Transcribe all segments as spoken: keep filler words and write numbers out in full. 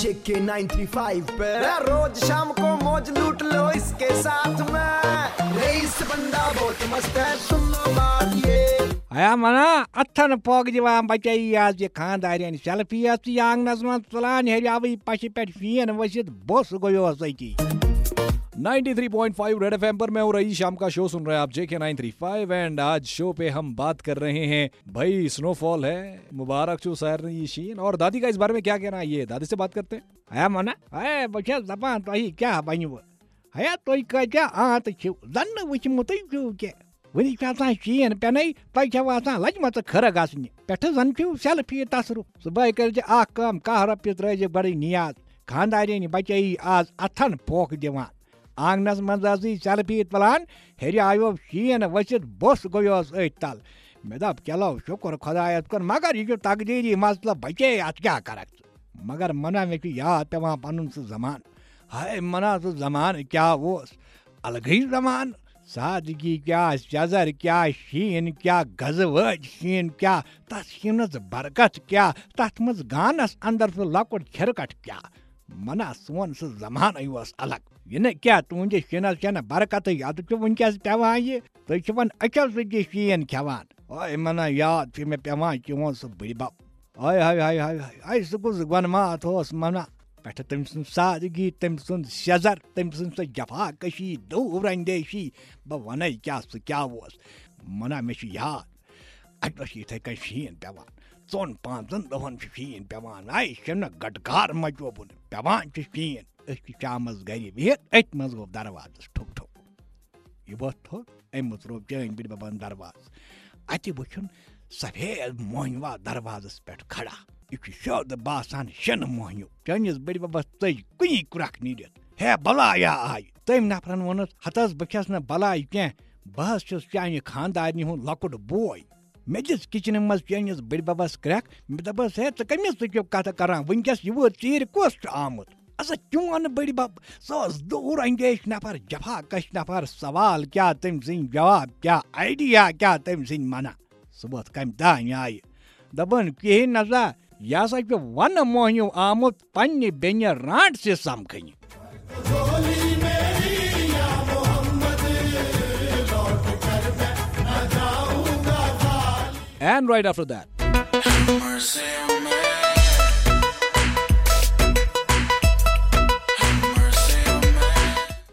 JK nine three five पे रोज शाम को मौज लूट लो इसके साथ में। रईस बंदा बहुत मस्त है, सुन लो बात ये। ہیا منا، اتھن پوک دِوان بچے یہِ آز یہِ خاندارین سیلفی ٲس یہِ آنگنس منٛز تُلان، ہیٚریاوٕے پشہِ پٮ۪ٹھ شیٖن ؤسِتھ بوٚس گوٚیوس أتی۔ ninety three point five Red F M पर मैं हूँ रईस। शाम का शो सुन रहे हैं आप, J K nine three five, and आज शो पे हम बात कर रहे हैं भाई, स्नोफॉल है, मुबारक छो सारने ये शीन। और दादी का इस बारे में क्या कहना है, ये दादी से बात करते हैं। ہیا منا، ہے بہٕ چھَس دپان تۄہہِ کیٛاہ بنیوٕ؟ ہیا تُہۍ کٲتیٛاہ آنٛت چھِو، زن نہٕ وٕچھمُتٕے چھِو کینٛہہ۔ وٕنہِ چھِ آسان شیٖن پٮ۪نَے، تۄہہِ چھَو آسان لجمژٕ کھٕرٕ گژھنہِ۔ پٮ۪ٹھٕ زن چھِو سیلفی تصرُف۔ صُبحٲے کٔرۍزِ اکھ کٲم، کاہ رۄپیہِ ترٲیزِ گۄڈٕے نیاز۔ خانٛدارِنۍ بچے آز اتھن پھوکھ دِوان۔ آنگنس منٛز ٲسٕے سیلفی تُلان، ہیٚرِ آیو شیٖن ؤسِتھ بوٚس گوٚیوس أتھۍ تل۔ مےٚ دوٚپ، چلو شُکر خۄدایس کُن، مگر یہِ چھُ تقدیٖری مسلہٕ، بچے اتھ کیٛاہ کرکھ ژٕ؟ مگر منا مےٚ چھُ یاد پٮ۪وان پنُن سُہ زمانہٕ۔ ہاے منا، سُہ زمانہٕ کیٛاہ اوس، الگٕے زمانہٕ۔ سادگی کیٛاہ، سیٚزر کیٛاہ، شیٖن کیٛاہ، گزٕ وٲج شیٖن کیٛاہ، تتھ شیٖنس برکت کیٛاہ، تتھ منٛز گانس اندر سُہ لۄکُٹ چھِرکٹ کیٛاہ۔ منا، سون سُہ زمانَے اوس الگ۔ یہِ نہٕ کیٛاہ، تُہنٛدِس شِنَس چھَنہٕ برکتٕے، اَدٕ چھُ وٕنکیٚس پٮ۪وان یہِ۔ تُہۍ چھِوَن أچھو سۭتۍ یہِ شیٖن کھٮ۪وان۔ اوے منا، یاد چھُ مےٚ پٮ۪وان چون سُہ بٕڈِ بَب۔ ہاے ہاے ہاے ہاے ہاے، ہاے سُہ کُس گۄنماتھ اوس منا۔ پٮ۪ٹھٕ تٔمۍ سٕنٛز سادگی، تٔمۍ سُنٛد سیٚزر، تٔمۍ سٕنٛز سۄ جفا کشی، دوٗر اندیشی۔ بہٕ وَنے کیٛاہ سُہ کیٛاہ اوس۔ منا، مےٚ چھُ یاد، اَتہِ اوس یِتھَے کٔنۍ شیٖن پٮ۪وان۔ ژۄن پانٛژن دۄہن چھُ شیٖن پٮ۪وان۔ اے شِنہٕ گٹکار مچووُن، پٮ۪وان چھُ شیٖن۔ أسۍ چھِ شامس گرِ بِہِتھ، أتھۍ منٛز گوٚو دروازس ٹھُک ٹھُک۔ یہِ ووٚتھ تھوٚد، أمۍ مٕژروو چٲنۍ بٕڈِ ببن دروازٕ۔ اَتہِ وٕچھُن سفید موہنیوا دروازس پٮ۪ٹھ کھڑا۔ یہِ چھُ سیوٚد باسان شِنہٕ موہنیو۔ چٲنِس بٕڈِ ببس ژٔج کُنی کرٛکھ نیٖرِتھ۔ ہے بلایا آیہِ۔ تٔمۍ نفرن ووٚنُس، ہتہٕ حظ بہٕ چھَس نہٕ بلاے کینٛہہ، بہٕ حظ چھُس چانہِ خانٛدارنہِ ہُنٛد لۄکُٹ بوے۔ مےٚ دِژ کچنہٕ منٛز چٲنِس بٕڈِ ببس کرٛٮ۪کھ۔ مےٚ دوٚپُس، ہے، ژٕ کٔمِس سۭتۍ چھُکھ کتھٕ کران؟ وٕنکیٚس یہِ وٲژ ژیٖرۍ کُس چھُ آمُت؟ ہسا چون بٕڈِ بب، سُہ اوس دوٗر اندیش نفر، جفا کش نفر۔ سوال کیٛاہ تٔمۍ سٕنٛدۍ، جواب کیٛاہ، آیڈیا کیٛاہ تٔمۍ سٕنٛدۍ؟ منا، سُہ ووت کمہِ دانہِ آیہِ۔ دپان، کِہیٖنۍ نسا، یہِ ہسا چھُ ونہٕ موہنیو آمُت پننہِ بیٚنہِ رانٛٹسہِ سمکھنہِ۔ And right after that,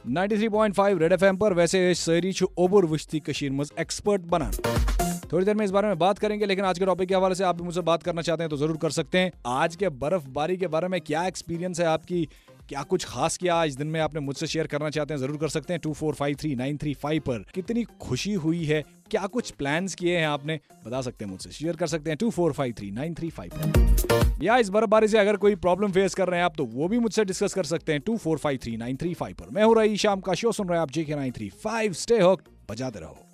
ninety three point five Red F M پر ویسے أسۍ سٲری چھِ اوٚبُر وٕچھتھٕے کٔشیٖرِ منٛز ایکسپرٹ بنان۔ تھوڑی دیر میں اس بارے میں بات کریں گے، لیکن آج کے ٹاپک کے حوالے سے آپ بھی مجھ سے بات کرنا چاہتے ہیں تو ضرور کر سکتے ہیں۔ آج کے برف باری کے بارے میں کیا ایکسپیرینس ہے آپ کی، کیا کچھ خاص کیا آج دن میں آپ نے مجھ سے شیئر کرنا چاہتے ہیں، ضرور کر سکتے ہیں two four five three nine three five پر۔ کتنی خوشی ہوئی ہے، کیا کچھ پلانز کیے ہیں آپ نے، بتا سکتے ہیں مجھ سے، شیئر کر سکتے ہیں two four five three nine three five پر۔ یا اس برف باری سے اگر کوئی پرابلم فیس کر رہے ہیں آپ تو وہ بھی مجھ سے ڈسکس کر سکتے ہیں two four five three nine three five پر۔ میں ہوں رئی شام کا شو، سن رہے ہیں آپ جے کے نائن تھری فائیو۔ اسٹے ہوکڈ، بجاتے رہو۔